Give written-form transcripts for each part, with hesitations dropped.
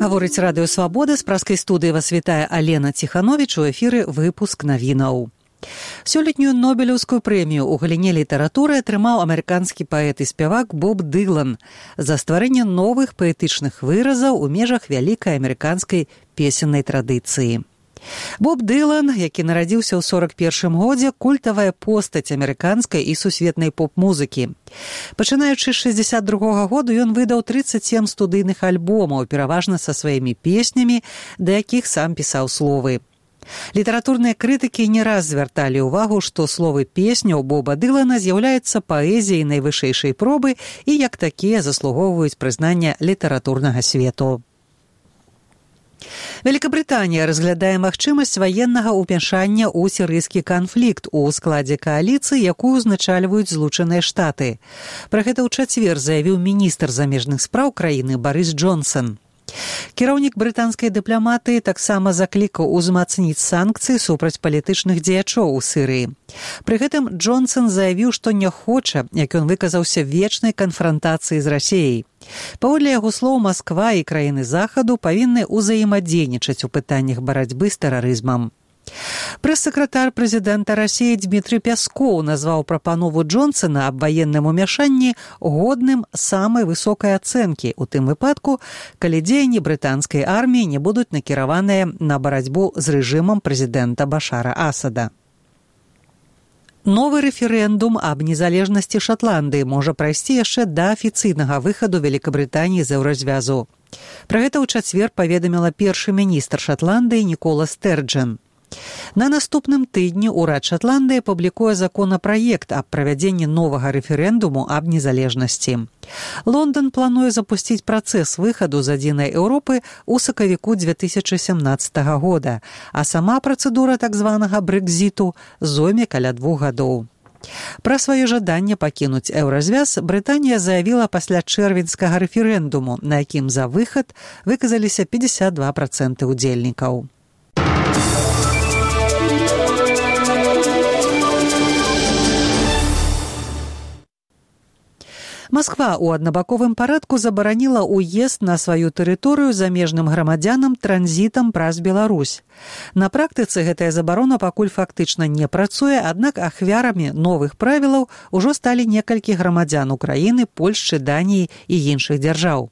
Гаворыць радыё «Свабода», з праскай студыі вас вітае Алена Ціхановіч, у эфіры выпуск навінаў. Сёлетнюю Нобелеўскую прэмію ў галіне літаратуры атрымаў амерыканскі паэт і спявак Боб Дылан за стварэнне новых паэтычных выразаў у межах вялікай амерыканскай песеннай традыцыі. Боб Дылан, які нарадзіўся ў 41-м годзе, культавая постаць амерыканскай і сусветнай поп-музыкі. Пачынаючы з 62-го году ён выдаў 37 студыйных альбомаў, пераважна са сваімі песнямі, да якіх сам пісаў словы. Літаратурныя крытыкі не раз звярталі ўвагу, што словы песняў Боба Дылана з'яўляюцца паэзіяй найвышэйшай пробы і як такія заслугоўваюць прызнання літаратурнага свету. Великабрытанія разглядае магчымасць ваеннага ўмяшання ў сірыйскі канфлікт у складзе кааліцыі, якую узначальваюць Злучаныя Штаты. Пра гэта ў чацвер заявіў міністр замежных спраў краіны Барыс Джонсон. Кіраўнік брытанскай дыпламатыі таксама заклікаў узмацніць санкцыі супраць палітычных дзеячоў у Сірыі. Пры гэтым Джонсон заявіў, што не хоча, як ён выказаўся, вечнай канфрантацыі з Расіяй. Паводле яго слоў, Масква і краіны Захаду павінны ўзаемадзейнічаць у пытаннях барацьбы з тэрарызмам. Прэс-сакратар прэзідэнта Расіі Дмітрый Пяскоў назваў прапанову Джонсона аб ваенным умяшанні годным самай высокай ацэнкі, у тым выпадку, калі дзеянні брытанскай арміі не будуць накіраваныя на барацьбу з рэжымам прэзідэнта Башара Асада. Новы рэферэндум аб незалежнасці Шатландыі можа прайсці яшчэ да афіцыйнага выхаду Великабрытаніі з еўразвязу. Пра гэта ў чацвер паведаміла першы міністр Шатландыі Нікола Стэрджан. На наступным тыдні ўрад Шатландыі публікуе законапраект аб правядзенні новага рэферэндуму аб незалежнасці. Лондан плануе запусціць працэс выхаду з адзінай Еўропы ў сакавіку 2017 года, а сама працэдура так званага брэкзіту зойме каля 2 гадоў. Пра сваё жаданне пакінуць еўразвяз Брытанія заявіла пасля чэрвеньскага рэферэндуму, на якім за выхад выказаліся 52% удзельнікаў. Масква ў аднабаковым парадку забараніла ўезд на сваю тэрыторыю замежным грамадзянам транзітам праз Беларусь. На практыцы гэтая забарона пакуль фактычна не працуе, аднак ахвярамі новых правілаў ужо сталі некалькі грамадзян Украіны, Польшчы, Даніі і іншых дзяржаў.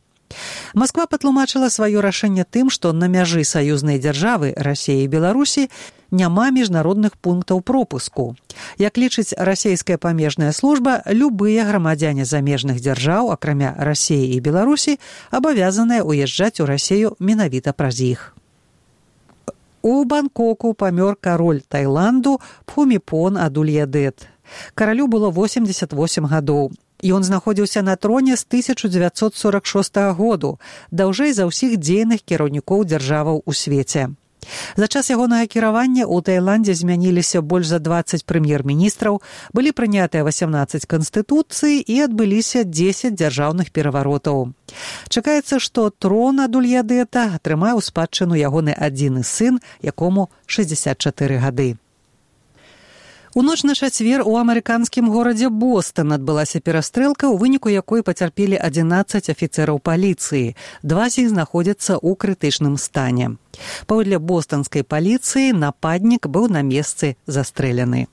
Масква патлумачыла сваё рашэнне тым, што на мяжы саюзнай дзяржавы Расіі і Беларусі няма міжнародных пунктаў пропуску. Як лічыць расійская памежная служба, любыя грамадзяне замежных дзяржаў, акрамя Расіі і Беларусі, абавязаныя ўязджаць у Расію менавіта праз іх. У Бангкоку памёр кароль Таіланду Пхуміпон Адульядет. Каралю было 88 гадоў. Ён знаходзіўся на троне з 1946 году, даўжэй за ўсіх дзейных кіраўнікоў дзяржаваў у свеце. За час ягонага кіравання ў Таіландзе змяніліся больш за 20 прэм'ер-міністраў, былі прынятыя 18 канстытуцый і адбыліся 10 дзяржаўных пераваротаў. Чакаецца, што трон Адульядэта атрымае ў спадчыну ягоны адзіны сын, якому 64 гады. У ноч на чацвер у амерыканскім горадзе Бостон адбылася перастрэлка, у выніку якой пацярпелі 11 афіцэраў паліцыі. 2 з іх знаходзяцца ў крытычным стане. Паводле бостанскай паліцыі нападнік быў на месцы застрэляны.